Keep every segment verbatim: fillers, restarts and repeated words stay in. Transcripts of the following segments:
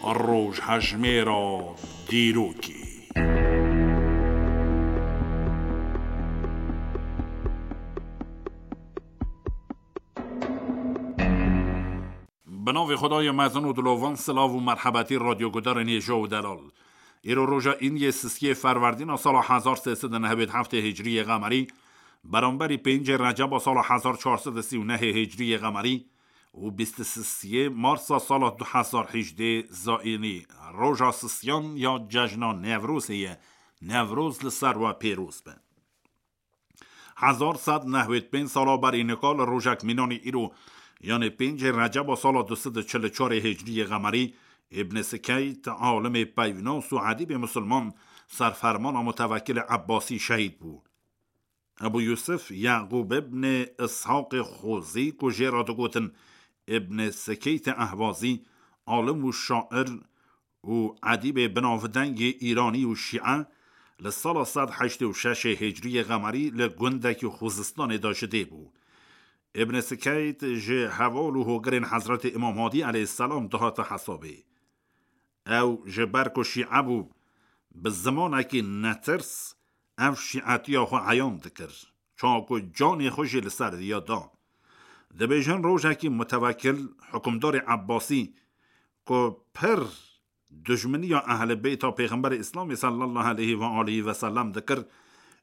Rojhejmêra dîrokê. Bi navê Xwedayê mezin û dilovan, silav û merhebetî radyogudarên hêja û delal. Îro roja Îndiyê sisiyê Ferwerdîna sala hezar sê sed û nehwêd heftê Hicriyê Qemerî, beramberî pêncê Receba sala hezar çar sed û sî û nehê Hicriyê Qemerî û bîst û sisiyê Marsa sala du hezar hejdê Zayînî, roja sisiyan ya cejna Newrozê ye. Newroz li ser we pêroz be. Hezar sed nehwêd pênc sala berî nika li rojek mînanî îro, yanê pêncê Receba sala du sed û çil û çarê Hicriyê Qemerî, Îbn Sikeyt, alimê peyvnas û edîbê misilman, ser fermana mutewekilê Ebbasî şehîd bû. Ebu Yusuf Yaqûb ibn Ishaqê Xozî, ku jê re digotin Ibn Sikeytê Ehwazî, alim û şair û edîbê binavdengê Îranî û Şîe, li sala sed heştê û şeş Hicriyê Qemerî li gundekî Xuzistanê de ji dê bû. Ibn Sikeyt ji heval û hogirên Hezretê Îmam Hadî aleyhisselam dihate hesabê. Ew ji ber ku Şîe bû, bi zimanekî netirs ev şîetiya xwe eyan dikir, çawa ku canê xwe jî li ser viya da. Dibêjin rojekî mutewekil, hukimdarê Ebbasî, ku pir dijminiya Ehlê Beyta Pêxemberê Îslamê sallallahu aleyhi ve aleyhi ve sellem dikir,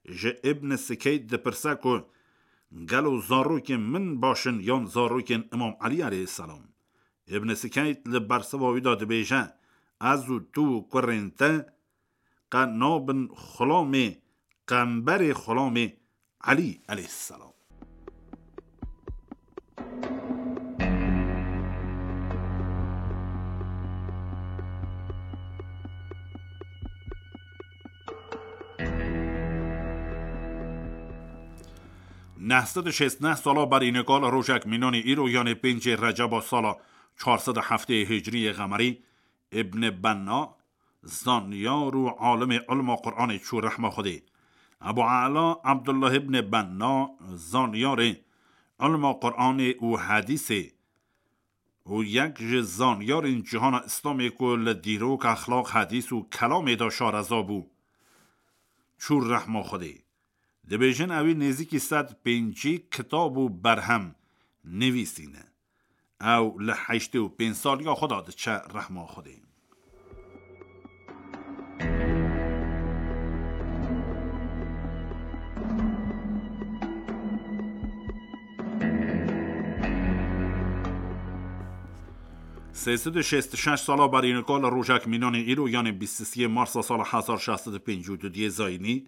ji Ibn Sikeyt dipirse ku gelo zarokên min baş in yan zarokên Îmam Elî aleyhisselam? Ibn Sikeyt li bersiva wî de dibêje, ez û tu û kurên te qe nabin xulamê qemberê xulamê Elî aleyhisselam. Neh sed û şêst neh sala berî nika li rojek mînanî îro, yanê pêncê Receba sala çar sed û heftê Hicriyê Qemerî, Ibn Benna, zanyar û alimê ilma Quranê çû rehma Xwedê. Ebu Ela Abdullah ibn Benna, zanyarê ilma Quranê û hedîsê û yek ji zanyarên cihana Îslamê ku li dîrok, exlaq, hedîs û kelamê de şareza bû, çû rehma Xwedê. Dibêjin ewî nêzîkî sed pêncî kitab û berhem nivîsîne. Ew li heştê û pênc saliya xwe de diçe rehma Xwedê. Sê sed û şêst û şeş sala berî nika li rojek mînanê îro, yanê bîst û siyê Marsa sala hezar şeş sed û pêncî û du diyê zayînî,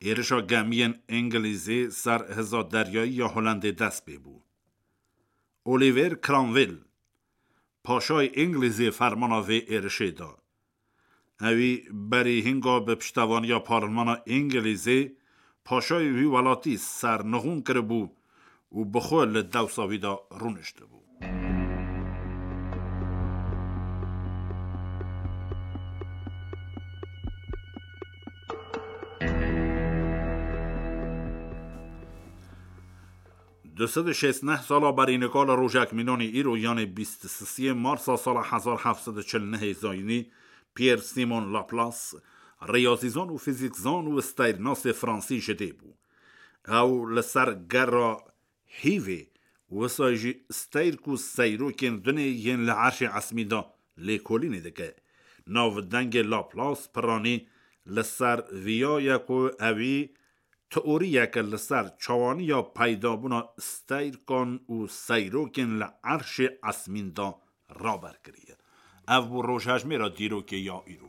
êrişa gemiyên Îngilîzî ser hiza deryayî ya Holendê dest pê bû. Oliver Cromwell, paşayê Îngilîzê, fermana vê êrişê da. Ewî berî hinga bi piştevaniya parlmana Îngilîzê paşayê wî welatî sernixûn kiribû û bi xwe li dewsa wî de rûniştibû. Du sed û şêst neh sala berî nika li rojek mînanî îro, yanê bîst û sisiyê Marsa sala hezar heft sed û çil nehê zayînî, Pierre Simon Laplace, riyazîzan û fîzîkzan û steyrnasê fransî ji dê bû. Ew li ser gera hîvê, wisa jî steyr ku seyrokên dunê yên li erşê esmî de lêkolînê dike. Navdengê Laplace piranî li ser viya ye ku ewî teoriyeke li ser çawaniya peydabûna steyrkan û seyrokên li erşê esmîn de raber kiriye. Ev bû rojhejmêra dîrokê ya îro.